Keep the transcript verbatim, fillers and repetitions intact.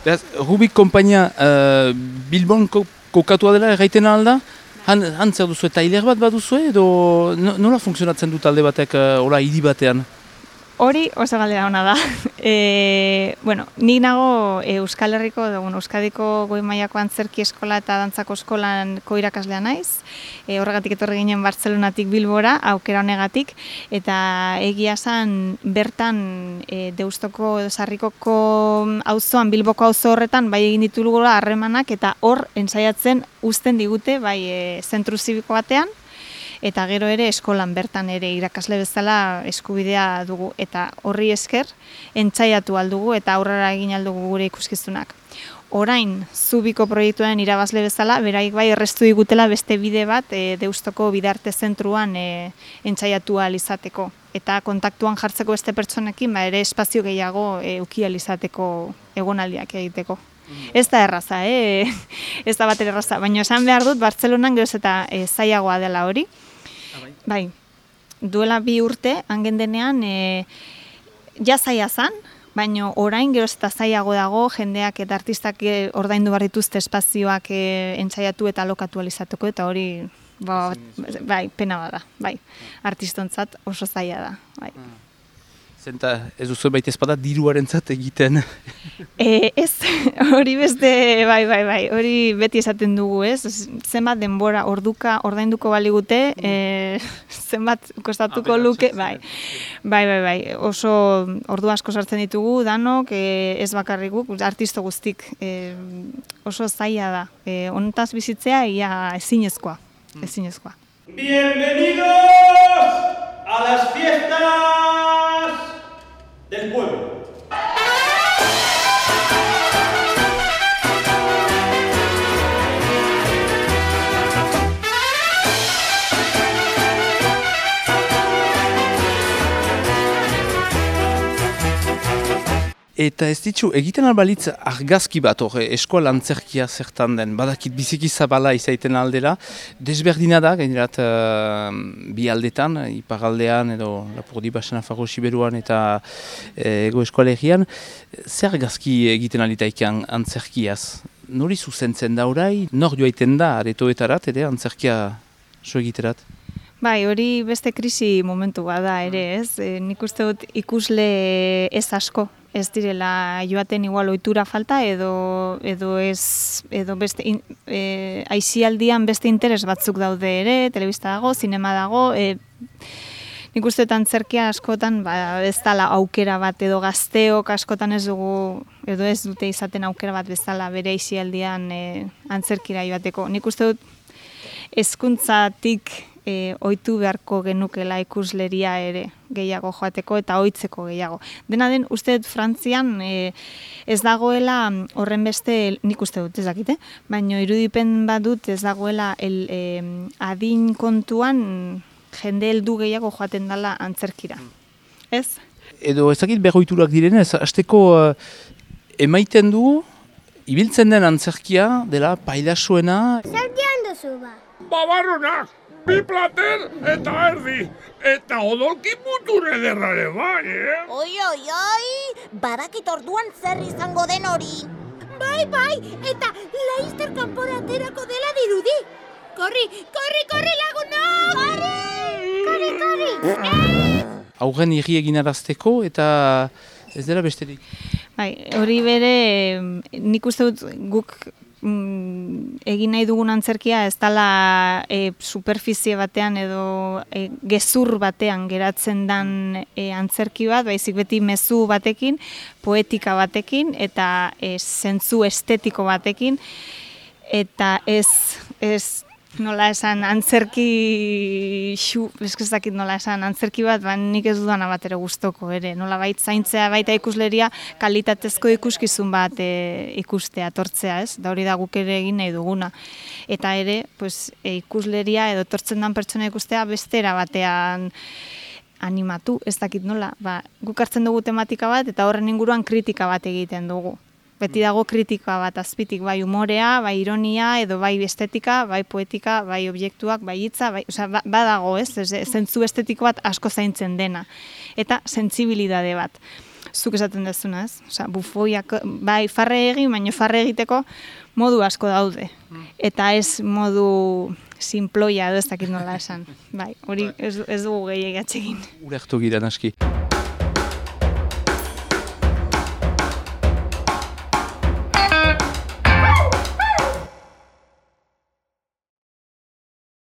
Beraz, Rubik kompainia uh, Bilbon ko, kokatua dela erraiten alda? Han, han zer duzu eta hiler bat baduzu edo nola funtzionatzen du talde batek uh, ola hiri batean? Hori oso galdera ona da. E, bueno, nik nago e, Euskal Herriko, edo, bueno, Euskadiko goi mailako antzerki eskola eta dantzako eskolanko irakaslea naiz. E, horregatik etorri ginen Bartzelonatik Bilbora, aukera honegatik, eta egia esan bertan e, Deustoko edo Sarrikoko auzoan, Bilboko auzo horretan, bai egin ditugula harremanak, eta hor ensaiatzen uzten digute, bai e, zentru zibiko batean, eta gero ere eskolan bertan ere irakasle bezala eskubidea dugu, eta horri esker entzaiatu aldugu eta aurrera egin aldugu gure ikuskizunak. Orain, Zubiko proiektuaren irabazle bezala, beraik bai errestu digutela beste bide bat e, Deustoko bidarte zentruan e, entzaiatu ahal izateko. Eta kontaktuan jartzeko beste pertsonekin, ba, ere espazio gehiago e, uki ahal izateko egonaldiak egiteko. Ez da erraza, eh? ez da bat erraza, baina esan behar dut, Bartzelonan geroz eta e, zailagoa dela hori. Bai, duela bi urte, hangen denean, e, ja zaila zan, baina orain geroz eta zailago dago, jendeak eta artistak e, ordaindu behar dituzte espazioak e, entzaiatu eta alokatu alizateko, eta hori, ba, bai, pena bada, bai, artistontzat oso zaila da, bai. Zenta ez duzu baita ezpada diruarentzat egiten. E, ez, hori beste, bai, bai, bai, hori beti esaten dugu, ez? Zenbat denbora orduka ordainduko baligute, e, zenbat kostatuko luke, bai, bai, bai, bai, oso ordu asko sartzen ditugu, danok, e, ez bakarrik guk, artisto guztik, e, oso zaila da. E, honetaz bizitzea, ia ezinezkoa, ezinezkoa. Bienvenidos a las fiestas del pueblo. Eta ez ditzu, egiten albalitz argazki bat hor, eskola antzerkia zertan den, badakit biziki zabala izaiten aldera, desberdina da, gainerat uh, bi aldetan, iparaldean edo Lapurdi Basen Nafarro Siberuan eta uh, ego eskoalegian, zer argazki egiten alitaikean antzerkiaz? Nori zuzentzen da orai, nor joaiten da aretoetarat, ere antzerkia so egiterat? Bai, hori beste krisi momentu bada ere, ez? E, nik uste dut ikusle ez asko, ez direla joaten igual ohitura falta edo edo ez edo beste in, e, aisialdian beste interes batzuk daude ere, telebista dago, zinema dago, e, nik uste dut antzerkia askotan ba, ez dela aukera bat edo gazteok askotan ez dugu edo ez dute izaten aukera bat bezala bere aisialdian e, antzerkira joateko. Nik uste dut hezkuntzatik E, ohitu beharko genukela ikusleria ere gehiago joateko eta ohitzeko gehiago. Dena den, uste dut Frantzian e, ez dagoela horren beste, nik uste dut ez dakite, baina irudipen badut ez dagoela el, e, adin kontuan jende heldu gehiago joaten dela antzerkira. Ez? Edo ez dakit berroiturak direnez, hasteko uh, emaiten du, ibiltzen den antzerkia dela pailasuena. Zertian duzu ba? Babarronak! Bi plater eta erdi, eta odolki mutur ederrare bai, eh? Oi, oi, oi, badakit orduan zer izango den hori. Bai, bai, eta laizter kanpora aterako dela dirudi. Korri, korri, korri lagunok! Korri, korri, korri! Eh! Aurren irri egin arazteko eta ez dela besterik. Bai, hori bere, nik uste dut guk mm, egin nahi dugun antzerkia ez dela e, superfizie batean edo e, gezur batean geratzen dan e, antzerki bat, baizik beti mezu batekin, poetika batekin eta e, zentzu estetiko batekin, eta ez, ez nola esan antzerki xu, eskizakit nola esan antzerki bat, ba, nik ez dudana bat ere gustoko ere, nola bait zaintzea baita ikusleria kalitatezko ikuskizun bat e, ikustea, tortzea, ez? Da hori da guk ere egin nahi duguna. Eta ere, pues, e, ikusleria edo tortzen dan pertsona ikustea bestera batean animatu, ez dakit nola, ba, guk hartzen dugu tematika bat eta horren inguruan kritika bat egiten dugu. Beti dago kritika bat azpitik, bai umorea, bai ironia, edo bai estetika, bai poetika, bai objektuak, bai hitza, bai, osea, ba, badago, ez? Zentzu estetiko bat asko zaintzen dena. Eta sentsibilidade bat. zuk esaten dezuna, ez? Osea, bufoiak, bai, farre egin, baina farre egiteko modu asko daude. Eta ez modu sinploia edo ez dakit nola esan. Bai, hori ez, ez dugu gehiagatxegin. Ulertu gira naski.